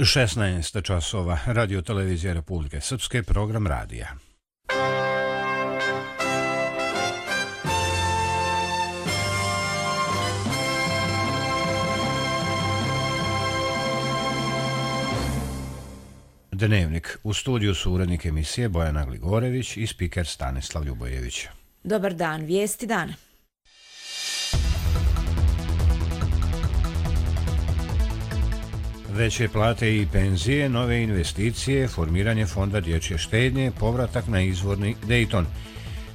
16 časova, Radio televizija Republike Srpske, program radija. Dnevnik. U studiju su urednik emisije Bojana Gligorević i spiker Stanislav Ljubojević. Dobar dan, vijesti dana. Veće plate i penzije, nove investicije, formiranje fonda dječje štednje, povratak na izvorni Dayton.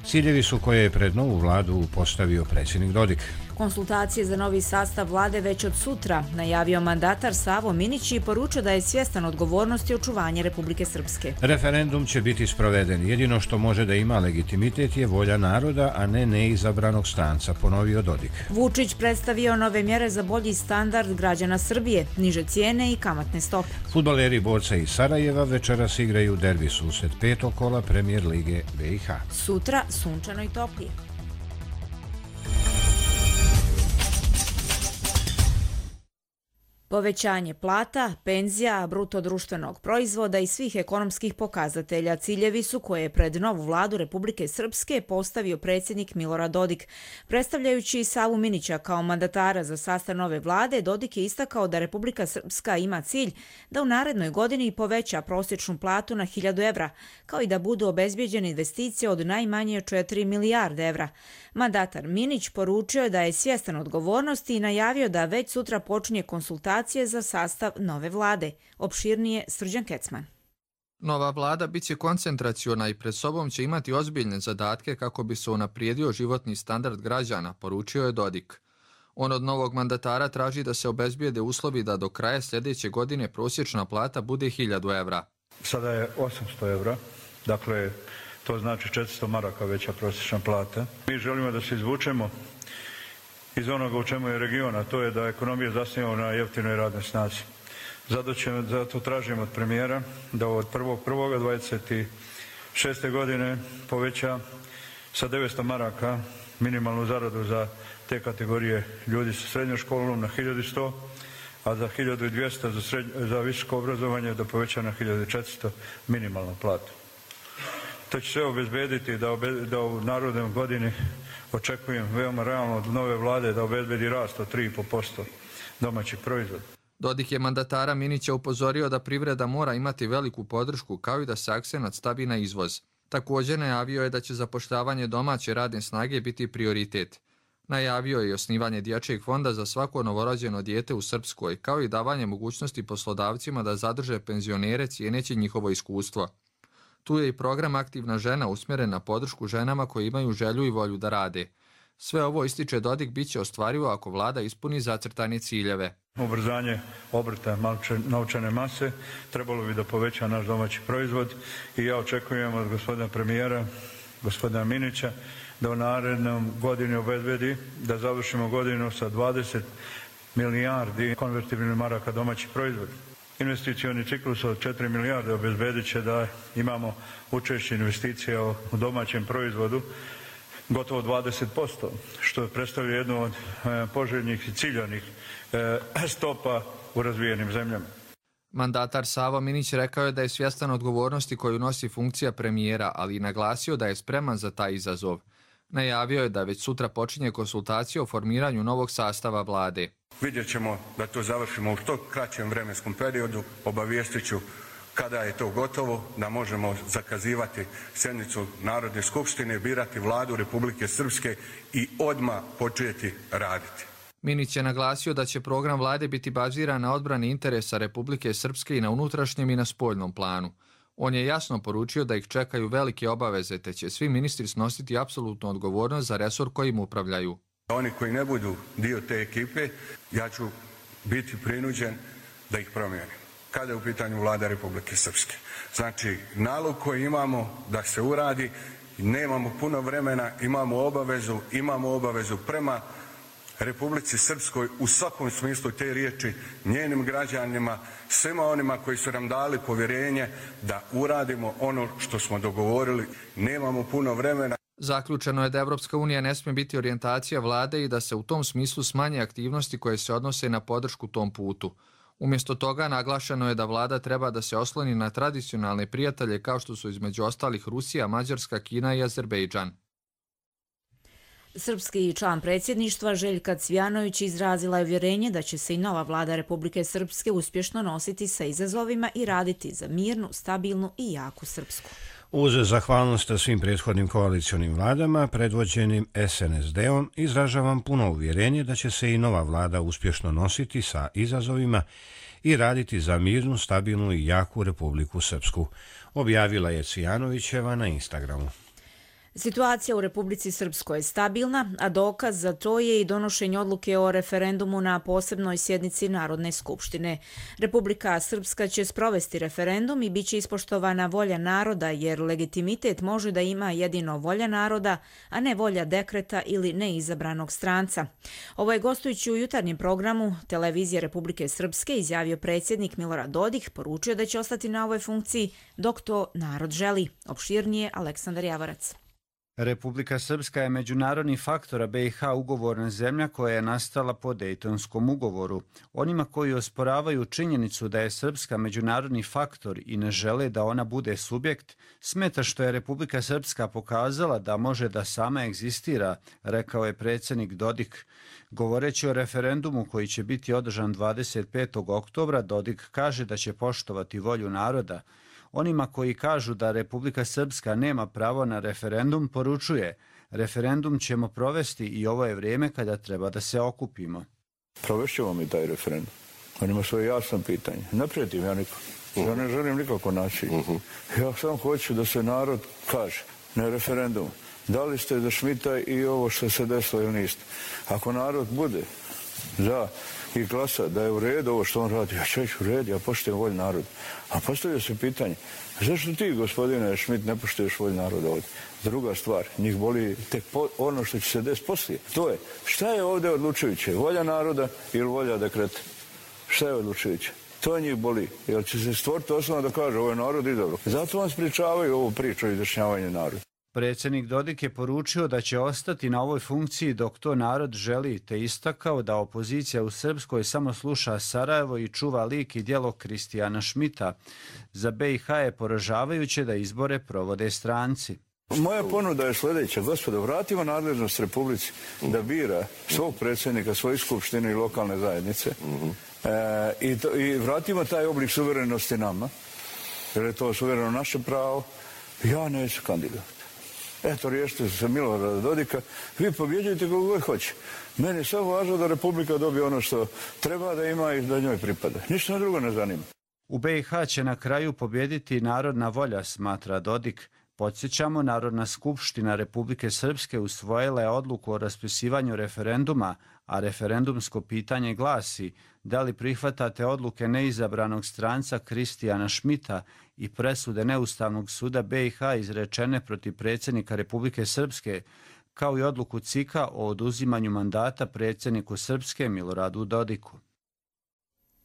Ciljevi su koje je pred novu vladu postavio predsjednik Dodik. Konsultacije za novi sastav vlade već od sutra, najavio mandatar Savo Minić i poručio da je svjestan odgovornosti očuvanja Republike Srpske. Referendum će biti sproveden. Jedino što može da ima legitimitet je volja naroda, a ne neizabranog stranca, ponovio Dodik. Vučić predstavio nove mjere za bolji standard građana Srbije, niže cijene i kamatne stope. Fudbaleri borca iz Sarajeva večeras igraju derbi susret petog kola Premijer lige BiH. Sutra sunčano i toplije. Povećanje plata, penzija, bruto društvenog proizvoda i svih ekonomskih pokazatelja ciljevi su koje je pred novu vladu Republike Srpske postavio predsjednik Milorad Dodik. Predstavljajući Savu Minića kao mandatara za sastav nove vlade, Dodik je istakao da Republika Srpska ima cilj da u narednoj godini poveća prosječnu platu na 1000 evra, kao i da budu obezbijeđene investicije od najmanje 4 milijarde evra. Mandatar Minić poručio je da je svjestan odgovornosti i najavio da već sutra počinje konsultacije za sastav nove vlade. Opširnije Srđan Kecman. Nova vlada bit će koncentraciona i pred sobom će imati ozbiljne zadatke kako bi se unaprijedio životni standard građana, poručio je Dodik. On od novog mandatara traži da se obezbijede uslovi da do kraja sljedeće godine prosječna plata bude 1000 evra. Sada je 800 evra, dakle to znači 400 maraka veća prosječna plata. Mi želimo da se izvučemo iz onoga u čemu je region, a to je da ekonomija zasniva na jeftinoj radnoj snazi. Zato tražimo od premijera da od 1.1.26. godine poveća sa 900 maraka minimalnu zaradu za te kategorije ljudi sa srednjom školom na 1100, a za 1200 za visoko obrazovanje da poveća na 1400 minimalnu platu. To će sve obezbediti da u narodnoj godini očekujem veoma realno od nove vlade da obezbedi rast od 3,5% domaćeg proizvoda. Dodik je mandatara Minića upozorio da privreda mora imati veliku podršku kao i da se akcenat stavi na izvoz. Također najavio je da će zapošljavanje domaće radne snage biti prioritet. Najavio je i osnivanje dječjeg fonda za svako novorođeno dijete u Srpskoj, kao i davanje mogućnosti poslodavcima da zadrže penzionere cijeneći njihovo iskustvo. Tu je i program Aktivna žena usmjeren na podršku ženama koje imaju želju i volju da rade. Sve ovo, ističe Dodik, bit će ostvarivo ako vlada ispuni zacrtane ciljeve. Ubrzanje obrta novčane mase trebalo bi da poveća naš domaći proizvod i ja očekujem od gospodina premijera, gospodina Minića, da u narednom godini obezbedi da završimo godinu sa 20 milijardi konvertibilnih maraka domaći proizvod. Investicioni ciklus od 4 milijarde obezbedit će da imamo učešće investicija u domaćem proizvodu gotovo 20%, što predstavlja jednu od poželjnih i ciljanih stopa u razvijenim zemljama. Mandatar Savo Minić rekao je da je svjestan odgovornosti koju nosi funkcija premijera, ali i naglasio da je spreman za taj izazov. Najavio je da već sutra počinje konsultacija o formiranju novog sastava vlade. Vidjet ćemo da to završimo u što kraćem vremenskom periodu. Obavijestit ću kada je to gotovo, da možemo zakazivati sjednicu Narodne skupštine, birati vladu Republike Srpske i odmah početi raditi. Minić je naglasio da će program vlade biti baziran na odbrani interesa Republike Srpske i na unutrašnjem i na spoljnom planu. On je jasno poručio da ih čekaju velike obaveze, te će svi ministri snositi apsolutnu odgovornost za resor kojim upravljaju. Oni koji ne budu dio te ekipe, ja ću biti prinuđen da ih promijenim. Kada je u pitanju vlada Republike Srpske. Znači, nalog koji imamo da se uradi, nemamo puno vremena, imamo obavezu prema Republici Srpskoj u svakom smislu te riječi, njenim građanima, svima onima koji su nam dali povjerenje da uradimo ono što smo dogovorili. Nemamo puno vremena. Zaključeno je da Evropska unija ne smije biti orijentacija vlade i da se u tom smislu smanje aktivnosti koje se odnose na podršku tom putu. Umjesto toga naglašeno je da vlada treba da se osloni na tradicionalne prijatelje kao što su između ostalih Rusija, Mađarska, Kina i Azerbejdžan. Srpski član predsjedništva Željka Cvijanović izrazila je uvjerenje da će se i nova vlada Republike Srpske uspješno nositi sa izazovima i raditi za mirnu, stabilnu i jaku Srpsku. Uz zahvalnost svim prethodnim koalicionim vladama predvođenim SNSD-om izražavam puno uvjerenje da će se i nova vlada uspješno nositi sa izazovima i raditi za mirnu, stabilnu i jaku Republiku Srpsku, objavila je Cvijanovićeva na Instagramu. Situacija u Republici Srpskoj je stabilna, a dokaz za to je i donošenje odluke o referendumu na posebnoj sjednici Narodne skupštine. Republika Srpska će sprovesti referendum i bit će ispoštovana volja naroda, jer legitimitet može da ima jedino volja naroda, a ne volja dekreta ili neizabranog stranca. Ovo je gostujući u jutarnjem programu Televizije Republike Srpske izjavio predsjednik Milorad Dodik, poručio da će ostati na ovoj funkciji dok to narod želi. Opširnije Aleksandar Javorac. Republika Srpska je međunarodni faktor, a BiH ugovorna zemlja koja je nastala po Dejtonskom ugovoru. Onima koji osporavaju činjenicu da je Srpska međunarodni faktor i ne žele da ona bude subjekt, smeta što je Republika Srpska pokazala da može da sama egzistira, rekao je predsjednik Dodik. Govoreći o referendumu koji će biti održan 25. oktobra, Dodik kaže da će poštovati volju naroda. Onima koji kažu da Republika Srpska nema pravo na referendum, poručuje: referendum ćemo provesti i ovo je vrijeme kada treba da se okupimo. Provešćemo mi taj referendum. On ima svoje jasno pitanje. Ne prijetim ja nikom. Ja ne želim nikako nasilje. Ja samo hoću da se narod kaže na referendum. Da li ste za Šmita i ovo što se desilo ili niste? Ako narod bude za i glasa da je u redu ovo što on radi, ja ću reći u redu, ja poštujem volju naroda. A postavlja se pitanje, zašto ti, gospodine Šmit, ne poštuješ volju naroda ovdje? Druga stvar, njih boli tek ono što će se desiti poslije. To je, šta je ovdje odlučujuće? Volja naroda ili volja dekreta? Šta je odlučujuće? To njih boli, jer će se stvoriti osnova da kaže ovo je narod i dobro. Zato vam spričavaju ovu priču o izjašnjavanju naroda. Predsjednik Dodik je poručio da će ostati na ovoj funkciji dok to narod želi, te istakao da opozicija u Srpskoj samo sluša Sarajevo i čuva lik i djelo Kristijana Šmita. Za BiH je poražavajuće da izbore provode stranci. Moja ponuda je sljedeća, gospodo, vratimo nadležnost Republici da bira svog predsjednika, svoje skupštine i lokalne zajednice i vratimo taj oblik suverenosti nama, jer je to suvereno naše pravo. Ja neću kandidat. Eto, riješite se Milorada Dodika, vi pobjeđujete kako god hoće. Meni je samo važno da Republika dobije ono što treba da ima i da njoj pripada. Ništa drugo ne zanima. U BiH će na kraju pobjediti narodna volja, smatra Dodik. Podsjećamo, Narodna skupština Republike Srpske usvojila je odluku o raspisivanju referenduma, a referendumsko pitanje glasi: da li prihvatate odluke neizabranog stranca Kristijana Šmita i presude Neustavnog suda BiH izrečene protiv predsjednika Republike Srpske, kao i odluku CIK-a o oduzimanju mandata predsjedniku Srpske Miloradu Dodiku.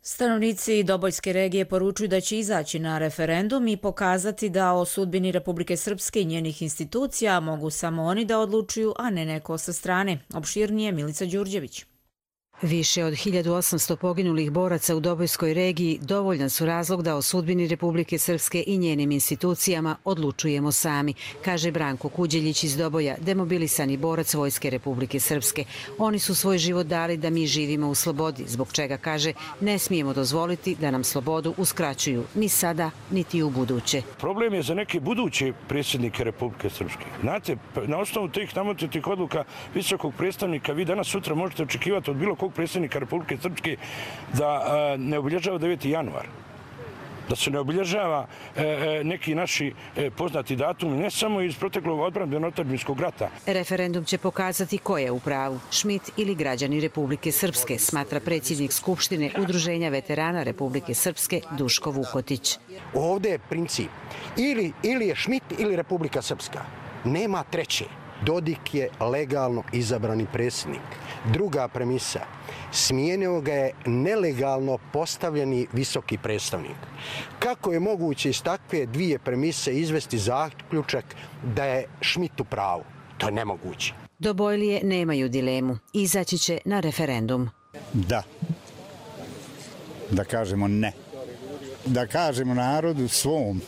Stanovnici Dobojske regije poručuju da će izaći na referendum i pokazati da o sudbini Republike Srpske i njenih institucija mogu samo oni da odlučuju, a ne neko sa strane. Opširnije Milica Đurđević. Više od 1800 poginulih boraca u Dobojskoj regiji dovoljan su razlog da o sudbini Republike Srpske i njenim institucijama odlučujemo sami, kaže Branko Kuđeljić iz Doboja, demobilisani borac Vojske Republike Srpske. Oni su svoj život dali da mi živimo u slobodi, zbog čega, kaže, ne smijemo dozvoliti da nam slobodu uskraćuju ni sada, niti u buduće. Problem je za neke buduće predsjednike Republike Srpske. Znate, na osnovu tih nametnutih odluka visokog predstavnika vi danas sutra možete očekivati od bilo kog predsjednika Republike Srpske da ne obilježava 9. januar. Da se ne obilježava neki naši poznati datumi, ne samo iz proteklog odbrambeno-otadžbinskog rata. Referendum će pokazati ko je u pravu, Šmit ili građani Republike Srpske, smatra predsjednik Skupštine Udruženja veterana Republike Srpske Duško Vukotić. Ovdje je princip ili je Šmit ili Republika Srpska. Nema treće. Dodik je legalno izabrani predsjednik. Druga premisa, smijenio ga je nelegalno postavljeni visoki predstavnik. Kako je moguće iz takve dvije premise izvesti zaključak da je Šmit u pravu? To je nemoguće. Dobojlije nemaju dilemu. Izaći će na referendum. Da. da kažemo ne. Da kažemo narodu svom,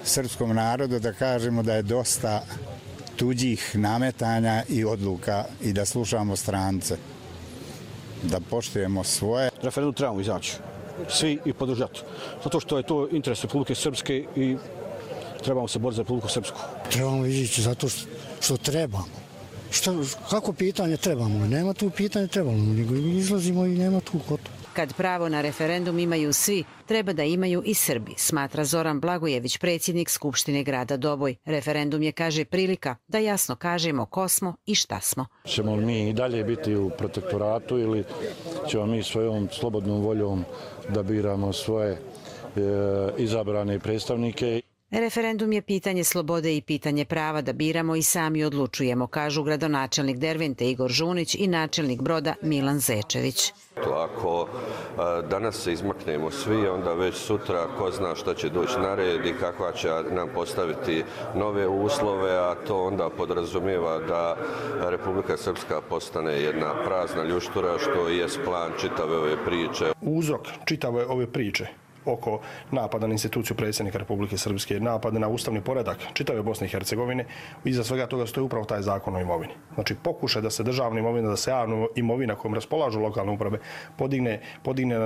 srpskom narodu, da kažemo da je dosta tuđih nametanja i odluka i da slušamo strance. Da poštujemo svoje. Referendum trebamo izaći, svi i podržati. Zato što je to interes Republike Srpske i trebamo se boriti za Republiku Srpsku. Trebamo izaći zato što trebamo. Kako pitanje trebamo? Nema tu pitanje trebamo, nego izlazimo i nema tu kod. Kad pravo na referendum imaju svi, treba da imaju i Srbi, smatra Zoran Blagojević, predsjednik Skupštine grada Doboj. Referendum je, kaže, prilika da jasno kažemo ko smo i šta smo. Ćemo mi i dalje biti u protektoratu ili ćemo mi svojom slobodnom voljom da biramo svoje izabrane predstavnike? Referendum je pitanje slobode i pitanje prava da biramo i sami odlučujemo, kažu gradonačelnik Dervente Igor Žunić i načelnik Broda Milan Zečević. Ako danas se izmaknemo svi, onda već sutra ko zna šta će doći na red i kakva će nam postaviti nove uslove, a to onda podrazumijeva da Republika Srpska postane jedna prazna ljuštura, što je plan čitave ove priče. Uzrok čitave ove priče oko napada na instituciju predsjednika Republike Srpske, napada na ustavni poredak čitave Bosne i Hercegovine, iza svega toga stoji upravo taj zakon o imovini. Znači pokušaj da se državna imovina, da se javna imovina kojom raspolažu lokalne uprave podigne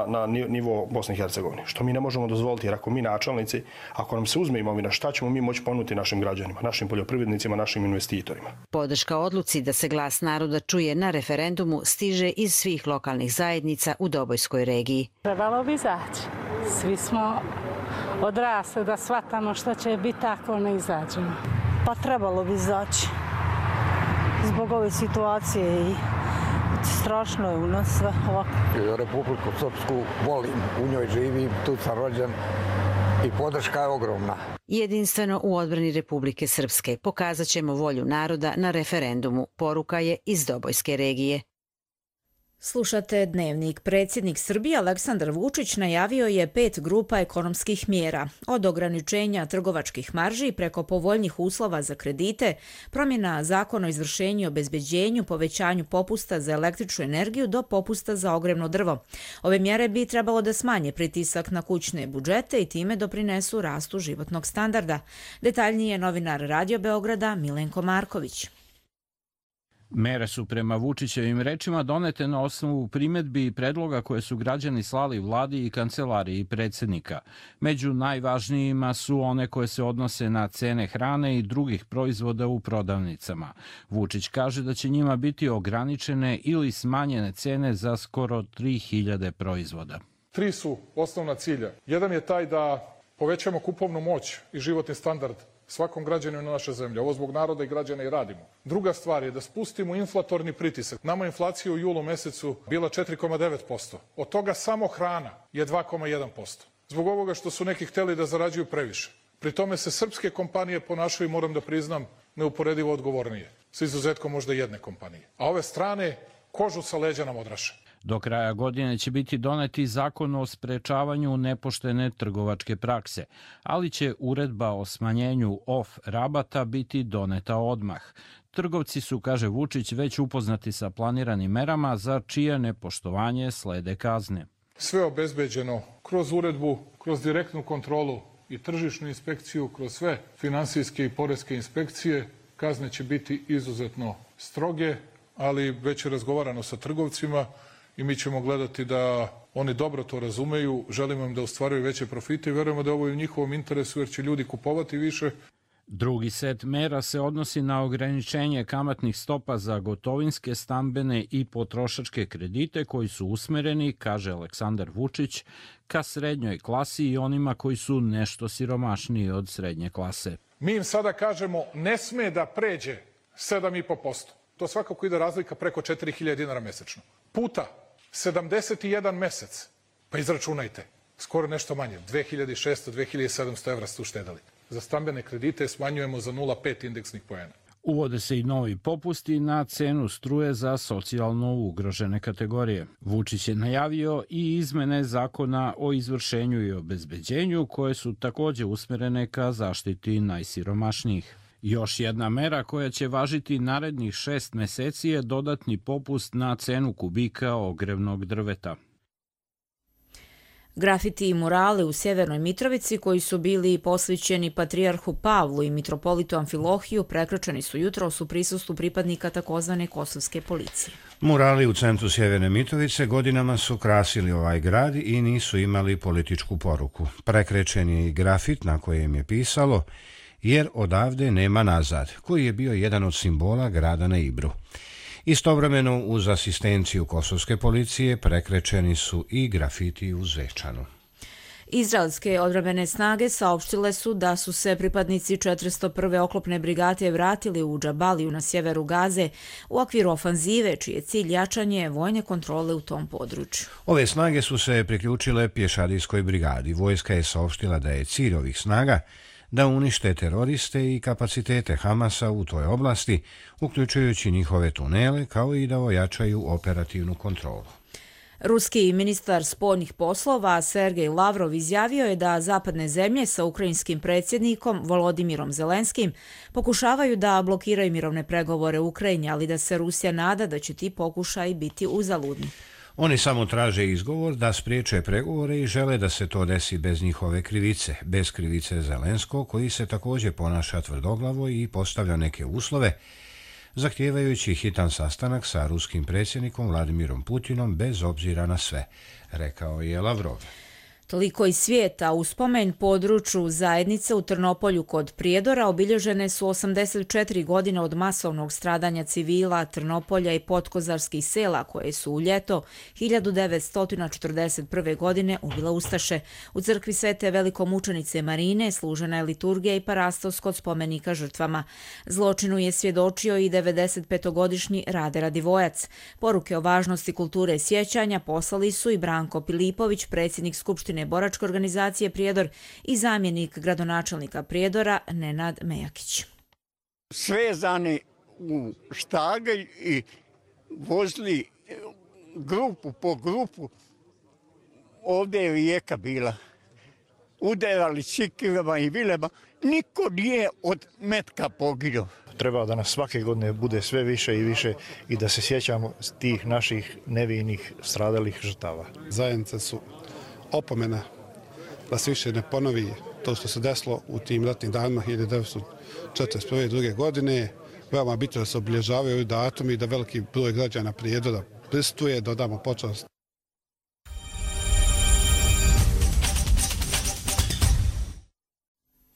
na nivo Bosne i Hercegovine. Što mi ne možemo dozvoliti, jer ako mi načelnici, ako nam se uzme imovina, šta ćemo mi moći ponuditi našim građanima, našim poljoprivrednicima, našim investitorima? Podrška odluci da se glas naroda čuje na referendumu stiže iz svih lokalnih zajednica u Dobojskoj regiji. Trebalo bi izaći. Svi smo odrasli da shvatamo što će biti ako ne izađemo. Pa trebalo bi izaći zbog ove situacije i strašno je u nas sve ovako. Republiku Srpsku volim, u njoj živim, tu sam rođen i podrška je ogromna. Jedinstveno u odbrani Republike Srpske pokazat ćemo volju naroda na referendumu, poruka je iz Dobojske regije. Slušate Dnevnik. Predsjednik Srbije Aleksandar Vučić najavio je 5 grupa ekonomskih mjera, od ograničenja trgovačkih marži preko povoljnih uslova za kredite, promjena zakona o izvršenju i obezbeđenju, povećanju popusta za električnu energiju do popusta za ogrjevno drvo. Ove mjere bi trebalo da smanje pritisak na kućne budžete i time doprinesu rastu životnog standarda. Detaljnije novinar Radio Beograda Milenko Marković. Mere su prema Vučićevim rečima donete na osnovu primjedbi i predloga koje su građani slali vladi i kancelariji predsjednika. Među najvažnijima su one koje se odnose na cene hrane i drugih proizvoda u prodavnicama. Vučić kaže da će njima biti ograničene ili smanjene cene za skoro 3000 proizvoda. 3 su osnovna cilja. Jedan je taj da povećamo kupovnu moć i životni standard svakom građaninu naše zemlje. Ovo zbog naroda i građana i radimo. Druga stvar je da spustimo inflatorni pritisak. Nama inflacija u julu mesecu bila 4,9%. Od toga samo hrana je 2,1%. Zbog ovoga što su neki hteli da zarađuju previše. Pri tome se srpske kompanije ponašaju, moram da priznam, neuporedivo odgovornije. S izuzetkom možda jedne kompanije. A ove strane kožu sa leđa nam odraše. Do kraja godine će biti doneti zakon o sprečavanju nepoštene trgovačke prakse, ali će uredba o smanjenju off rabata biti doneta odmah. Trgovci su, kaže Vučić, već upoznati sa planiranim merama za čije nepoštovanje slede kazne. Sve obezbeđeno kroz uredbu, kroz direktnu kontrolu i tržišnu inspekciju, kroz sve finansijske i poreske inspekcije. Kazne će biti izuzetno stroge, ali već je razgovarano sa trgovcima i mi ćemo gledati da oni dobro to razumeju, želimo im da ostvaruju veće profite i verujemo da ovo je u njihovom interesu jer će ljudi kupovati više. Drugi set mera se odnosi na ograničenje kamatnih stopa za gotovinske, stambene i potrošačke kredite koji su usmereni, kaže Aleksandar Vučić, ka srednjoj klasi i onima koji su nešto siromašniji od srednje klase. Mi im sada kažemo ne sme da pređe 7,5%. To svakako ide razlika preko 4.000 dinara mesečno. Puta 71 mesec, pa izračunajte, skoro nešto manje, 2.600, 2.700 evra ste uštedali. Za stambene kredite smanjujemo za 0,5 indeksnih poena. Uvode se i novi popusti na cenu struje za socijalno ugrožene kategorije. Vučić je najavio i izmene zakona o izvršenju i obezbeđenju koje su također usmjerene ka zaštiti najsiromašnijih. Još jedna mera koja će važiti narednih 6 meseci je dodatni popust na cenu kubika ogrevnog drveta. Grafiti i murale u Sjevernoj Mitrovici koji su bili posvećeni patrijarhu Pavlu i mitropolitu Amfilohiju prekrečeni su jutros u prisustvu pripadnika takozvane kosovske policije. Murali u centru Sjeverne Mitrovice godinama su krasili ovaj grad i nisu imali političku poruku. Prekrečen je i grafit na kojem je pisalo jer odavde nema nazad, koji je bio jedan od simbola grada na Ibru. Istovremeno uz asistenciju kosovske policije prekrečeni su i grafiti u Zvečanu. Izraelske odbrambene snage saopštile su da su se pripadnici 401. oklopne brigade vratili u Džabaliju na sjeveru Gaze u okviru ofanzive, čiji je cilj jačanje vojne kontrole u tom području. Ove snage su se priključile pješadijskoj brigadi. Vojska je saopštila da je cilj ovih snaga da unište teroriste i kapacitete Hamasa u toj oblasti, uključujući njihove tunele, kao i da ojačaju operativnu kontrolu. Ruski ministar spoljnih poslova Sergej Lavrov izjavio je da zapadne zemlje sa ukrajinskim predsjednikom Volodimirom Zelenskim pokušavaju da blokiraju mirovne pregovore u Ukrajini, ali da se Rusija nada da će ti pokušaji biti uzaludni. Oni samo traže izgovor da spriječe pregovore i žele da se to desi bez njihove krivice, bez krivice Zelenskog, koji se također ponaša tvrdoglavo i postavlja neke uslove, zahtijevajući hitan sastanak sa ruskim predsjednikom Vladimirom Putinom bez obzira na sve, rekao je Lavrov. Toliko iz svijeta. U spomen području zajednice u Trnopolju kod Prijedora obilježene su 84 godine od masovnog stradanja civila Trnopolja i podkozarskih sela koje su u ljeto 1941. godine ubile ustaše. U crkvi Svete velikomučenice Marine služena je liturgija i parastos kod spomenika žrtvama. Zločinu je svjedočio i 95-godišnji Rade Radivojac. Poruke o važnosti kulture sjećanja poslali su i Branko Pilipović, predsjednik Skupštine boračke organizacije Prijedor i zamjenik gradonačelnika Prijedora Nenad Mejakić. Svezani u štagelj i vozili grupu po grupu. Ovdje je rijeka bila. Udarali cikilama i vilema. Niko nije od metka poginuo. Treba da nas svake godine bude sve više i više i da se sjećamo tih naših nevinih stradalih žrtava. Zajednice su opomena da se više ne ponovi to što se desilo u tim ratnim danima 1941. godine. Veoma bitno da se obilježavaju ovi datumi i da veliki broj građana Prijedora prisustvuje, dodamo počast.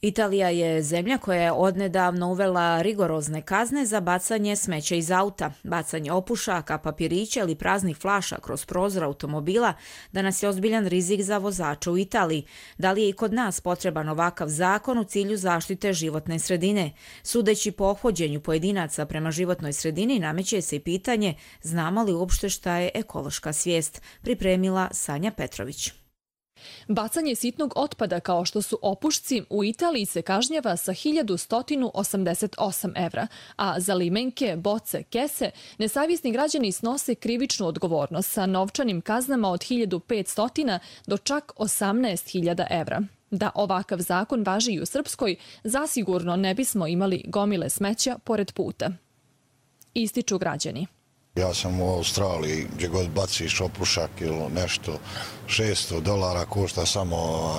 Italija je zemlja koja je odnedavno uvela rigorozne kazne za bacanje smeća iz auta. Bacanje opušaka, papirića ili praznih flaša kroz prozor automobila danas je ozbiljan rizik za vozača u Italiji. Da li je i kod nas potreban ovakav zakon u cilju zaštite životne sredine? Sudeći po ophođenju pojedinaca prema životnoj sredini, nameće se i pitanje znamo li uopšte šta je ekološka svijest, pripremila Sanja Petrović. Bacanje sitnog otpada kao što su opušci u Italiji se kažnjava sa 1188 evra, a za limenke, boce, kese nesavjesni građani snose krivičnu odgovornost sa novčanim kaznama od 1500 do čak 18.000 evra. Da ovakav zakon važi i u Srpskoj, zasigurno ne bismo imali gomile smeća pored puta. Ističu građani. Ja sam u Australiji, gdje god baciš opušak ili nešto, $600 košta samo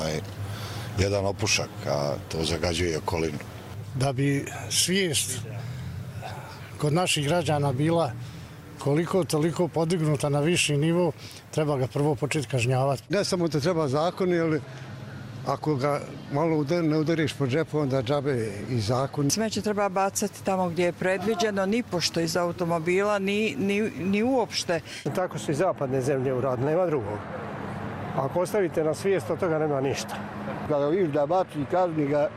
jedan opušak, a to zagađuje okolinu. Da bi svijest kod naših građana bila koliko toliko podignuta na viši nivo, treba ga prvo početi kažnjavati. Ne samo da treba zakon, ali ako ga malo ne udariš po džepu, onda džabe i zakon. Smeće treba bacati tamo gdje je predviđeno, ni pošto iz automobila, ni uopšte. Tako su i zapadne zemlje uradile, nema drugog. Ako ostavite na svijest, od toga nema ništa. Kada vidiš da baci, kazni ga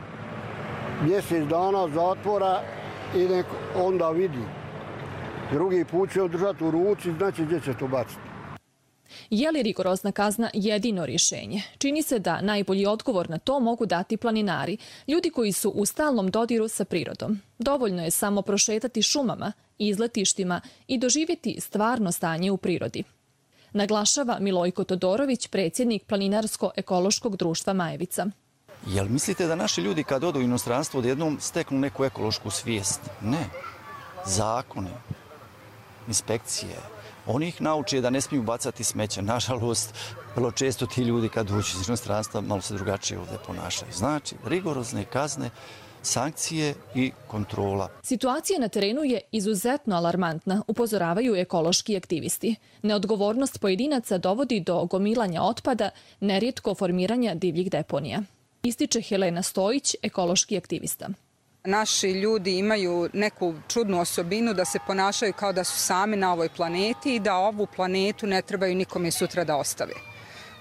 mjesec dana zatvora i onda vidi. Drugi put će održati u ruci, znači gdje će to baciti. Je li rigorozna kazna jedino rješenje? Čini se da najbolji odgovor na to mogu dati planinari, ljudi koji su u stalnom dodiru sa prirodom. Dovoljno je samo prošetati šumama, izletištima i doživjeti stvarno stanje u prirodi. Naglašava Milojko Todorović, predsjednik Planinarsko-ekološkog društva Majevica. Jel mislite da naši ljudi kad odu u inostranstvo odjednom steknu neku ekološku svijest? Ne. Zakone, inspekcije, oni ih nauče da ne smiju bacati smeće. Nažalost, vrlo često ti ljudi kad uđu iz inostranstva malo se drugačije ovdje ponašaju. Znači, rigorozne kazne, sankcije i kontrola. Situacija na terenu je izuzetno alarmantna, upozoravaju ekološki aktivisti. Neodgovornost pojedinaca dovodi do gomilanja otpada, nerijetko formiranja divljih deponija. Ističe Helena Stojić, ekološki aktivista. Naši ljudi imaju neku čudnu osobinu da se ponašaju kao da su sami na ovoj planeti i da ovu planetu ne trebaju nikome sutra da ostave.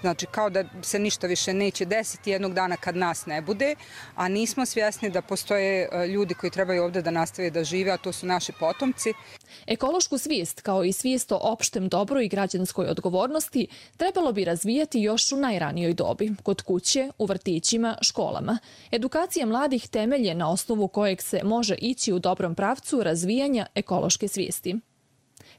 Znači, kao da se ništa više neće desiti jednog dana kad nas ne bude, a nismo svjesni da postoje ljudi koji trebaju ovdje da nastave da žive, a to su naši potomci. Ekološku svijest, kao i svijest o opštem dobru i građanskoj odgovornosti, trebalo bi razvijati još u najranijoj dobi, kod kuće, u vrtićima, školama. Edukacija mladih temelje na osnovu kojeg se može ići u dobrom pravcu razvijanja ekološke svijesti.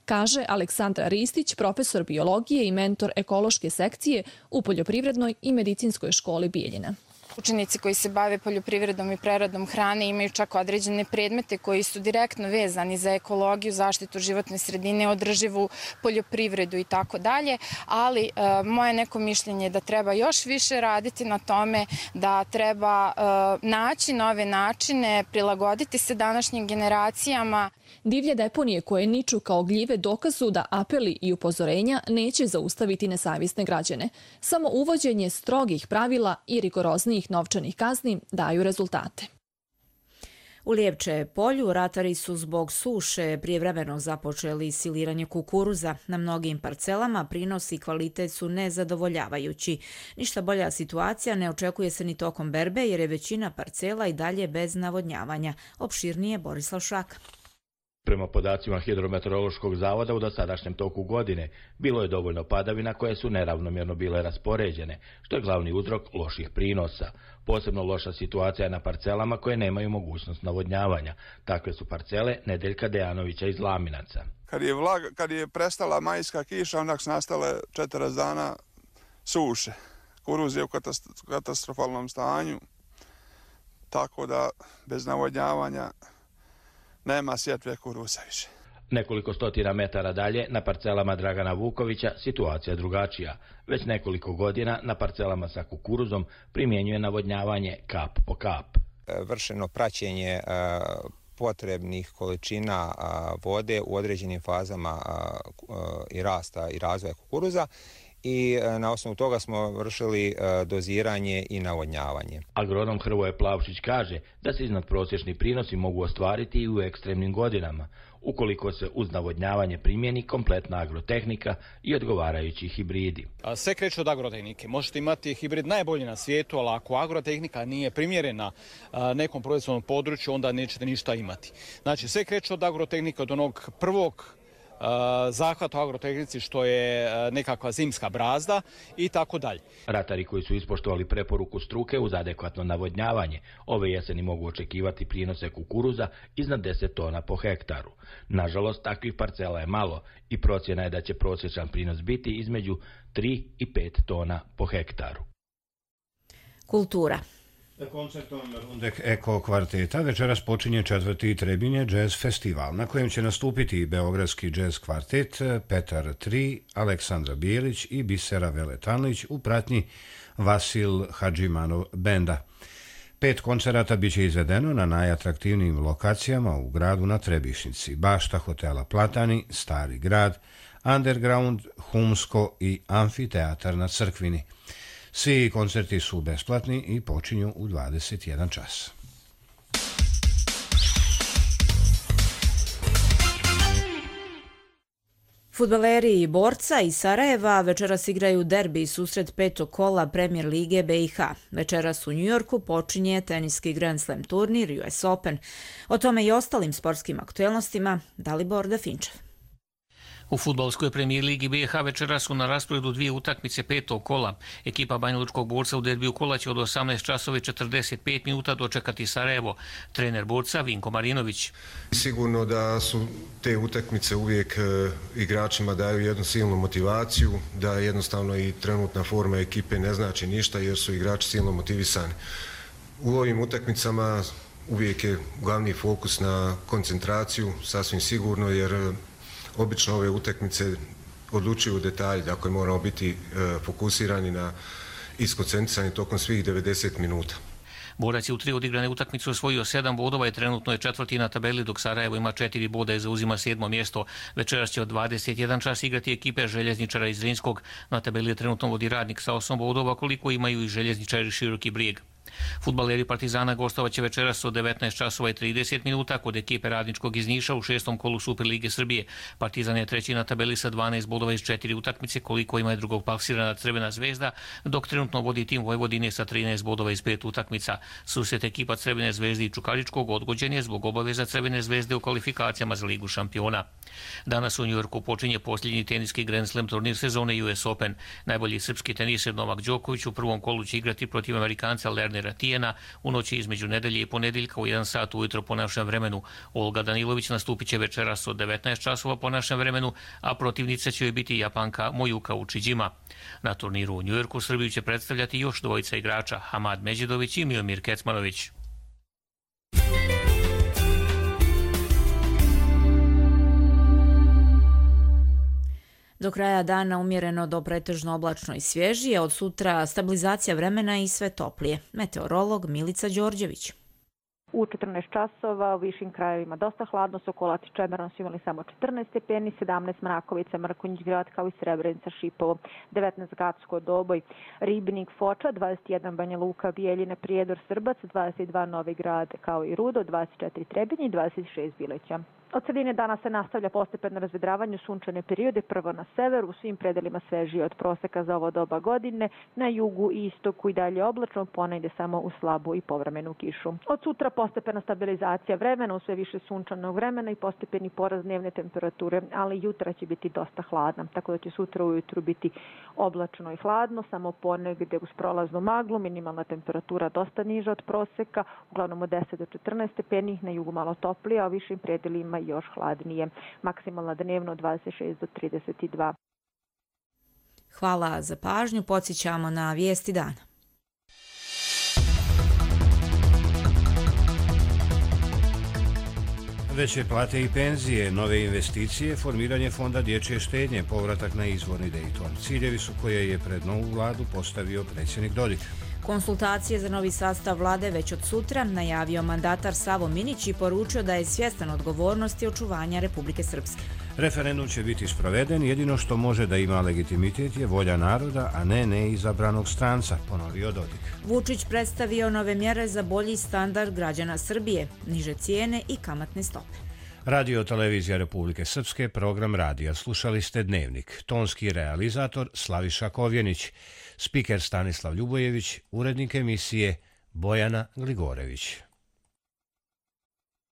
Kaže Aleksandra Ristić, profesor biologije i mentor ekološke sekcije u Poljoprivrednoj i medicinskoj školi Bijeljina. Učenici koji se bave poljoprivredom i preradom hrane imaju čak određene predmete koji su direktno vezani za ekologiju, zaštitu životne sredine, održivu poljoprivredu i tako dalje, ali moje neko mišljenje je da treba još više raditi na tome, da treba naći nove načine, prilagoditi se današnjim generacijama. Divlje deponije koje niču kao gljive dokazu da apeli i upozorenja neće zaustaviti nesavjesne građane. Samo uvođenje strogih pravila i rigoroznijih novčanih kazni daju rezultate. U Lijevče polju ratari su zbog suše prijevremeno započeli siliranje kukuruza. Na mnogim parcelama prinos i kvalitet su nezadovoljavajući. Ništa bolja situacija ne očekuje se ni tokom berbe jer je većina parcela i dalje bez navodnjavanja. Opširnije Borislav Šak. Prema podacima Hidrometeorološkog zavoda u dosadašnjem toku godine bilo je dovoljno padavina koje su neravnomjerno bile raspoređene, što je glavni uzrok loših prinosa. Posebno loša situacija je na parcelama koje nemaju mogućnost navodnjavanja. Takve su parcele Nedeljka Dejanovića iz Laminaca. Kad je prestala majska kiša, onda su nastale 40 dana suše. Kukuruz je u katastrofalnom stanju, tako da bez navodnjavanja nema sjetve kukuruza više. Nekoliko stotina metara dalje, na parcelama Dragana Vukovića, situacija je drugačija. Već nekoliko godina na parcelama sa kukuruzom primjenjuje navodnjavanje kap po kap. Vršeno praćenje potrebnih količina vode u određenim fazama i rasta i razvoja kukuruza i na osnovu toga smo vršili doziranje i navodnjavanje. Agronom Hrvoje Plavšić kaže da se iznadprosječni prinosi mogu ostvariti i u ekstremnim godinama, ukoliko se uz navodnjavanje primjeni kompletna agrotehnika i odgovarajući hibridi. Sve kreće od agrotehnike. Možete imati hibrid najbolji na svijetu, ali ako agrotehnika nije primjerena nekom proizvodnom području, onda nećete ništa imati. Znači, sve kreće od agrotehnika, od onog prvog zahvat u agrotehnici što je nekakva zimska brazda i tako dalje. Ratari koji su ispoštovali preporuku struke uz adekvatno navodnjavanje ove jeseni mogu očekivati prinose kukuruza iznad 10 tona po hektaru. Nažalost, takvih parcela je malo i procjena je da će prosječan prinos biti između 3 i 5 tona po hektaru. Kultura. Koncertom Rundek Eko kvarteta večeras počinje 4. Trebinje jazz festival, na kojem će nastupiti i beogradski jazz kvartet Petar III, Aleksandra Bijelić i Bisera Veletanlić u pratnji Vasil Hadžimanov benda. 5 koncerata biće izvedeno na najatraktivnijim lokacijama u gradu na Trebišnici: Bašta hotela Platani, Stari grad, Underground, Humsko i Amfiteatar na Crkvini. Svi koncerti su besplatni i počinju u 21 čas. Fudbaleri Borca iz Sarajeva večeras igraju derbi susret 5. kola Premier lige BiH. Večeras u Njujorku počinje teniski Grand Slam turnir US Open. O tome i ostalim sportskim aktuelnostima Dalibor Dafinčev. U fudbalskoj premijer ligi BiH večera su na rasporedu 2 utakmice 5. kola. Ekipa Banjalučkog Borca u derbiju kola će od 18 časova i 45 minuta dočekati Sarajevo. Trener Borca Vinko Marinović. Sigurno da su te utakmice uvijek igračima daju jednu silnu motivaciju, da jednostavno i trenutna forma ekipe ne znači ništa jer su igrači silno motivisani. U ovim utakmicama uvijek je glavni fokus na koncentraciju, sasvim sigurno, jer obično ove utakmice odlučuju detalji, dakle moramo biti fokusirani na iskoncentrisani tokom svih 90 minuta. Borac je u 3 odigrane utakmice osvojio 7 bodova i trenutno je 4. na tabeli, dok Sarajevo ima 4 boda i zauzima 7. mjesto. Večeras će od 21 čas igrati ekipe Željezničara iz Zrinskog. Na tabeli je trenutno vodi Radnik sa 8 bodova, koliko imaju i Željezničari Široki Brijeg. Fudbaleri Partizana gostovaće večeras od 19 časova i 30 minuta kod ekipe Radničkog iz Niša u 6. kolu Superlige Srbije. Partizan je 3. na tabeli sa 12 bodova iz 4 utakmice, koliko ima i drugog plasirana Crvena zvezda, dok trenutno vodi tim Vojvodine sa 13 bodova iz 5 utakmica. Susret ekipa Crvene zvezde i Čukaričkog odgođen je zbog obaveza Crvene zvezde u kvalifikacijama za Ligu šampiona. Danas u Njujorku počinje posljednji teniski Grand Slam turnir sezone US Open. Najbolji srpski teniser Novak Đoković u prvom kolu će igrati protiv Amerikanca Lernera Tijena u noći između nedelje i ponedjeljka u 1 sat ujutro po našem vremenu. Olga Danilović nastupit će večeras od 19 časova po našem vremenu, a protivnica će joj biti Japanka Mojuka Učiđima. Na turniru u Njujorku Srbiju će predstavljati još dvojica igrača, Hamad Međidović i Miomir Kecmanović. Do kraja dana umjereno do pretežno oblačno i svježije, od sutra stabilizacija vremena i sve toplije. Meteorolog Milica Đorđević. U 14 časova u višim krajevima dosta hladno, Sokolac i Čemeron su imali samo 14 stepeni, 17 Mrakovica, Mrkonjić grad kao i Srebrenica, Šipovo, 19 Gacko, Doboj, Ribnik, Foča, 21 Banja Luka, Bijeljina, Prijedor, Srbac, 22 Novi Grad kao i Rudo, 24 Trebinje i 26 Bileća. Od sredine dana se nastavlja postepeno razvedravanje, sunčane periode, prvo na severu, u svim predelima svežije od proseka za ovo doba godine, na jugu i istoku i dalje oblačno, ponegde samo u slabu i povremenu kišu. Od sutra postepena stabilizacija vremena, u sve više sunčanog vremena i postepeni porast dnevne temperature, ali jutra će biti dosta hladna, tako da će sutra ujutru biti oblačno i hladno, samo ponegde uz prolaznu maglu, minimalna temperatura dosta niža od proseka, uglavnom od 10 do 14 stepeni, na jugu malo toplije, a u višim predelima još hladnije. Maksimalna dnevno 26 do 32. Hvala za pažnju. Podsjećamo na vijesti dana. Veće plate i penzije, nove investicije, formiranje fonda dječje štednje, povratak na izvorni Dayton. Ciljevi su koje je pred novu vladu postavio predsjednik Dodik. Konsultacije za novi sastav vlade već od sutra najavio mandatar Savo Minić i poručio da je svjestan odgovornosti očuvanja Republike Srpske. Referendum će biti sproveden, jedino što može da ima legitimitet je volja naroda, a ne neizabranog stranca, ponovio Dodik. Vučić predstavio nove mjere za bolji standard građana Srbije, niže cijene i kamatne stope. Radio Televizija Republike Srpske, program radija. Slušali ste Dnevnik. Tonski realizator Slaviša Kovjenić, spiker Stanislav Ljubojević, urednik emisije Bojana Gligorević.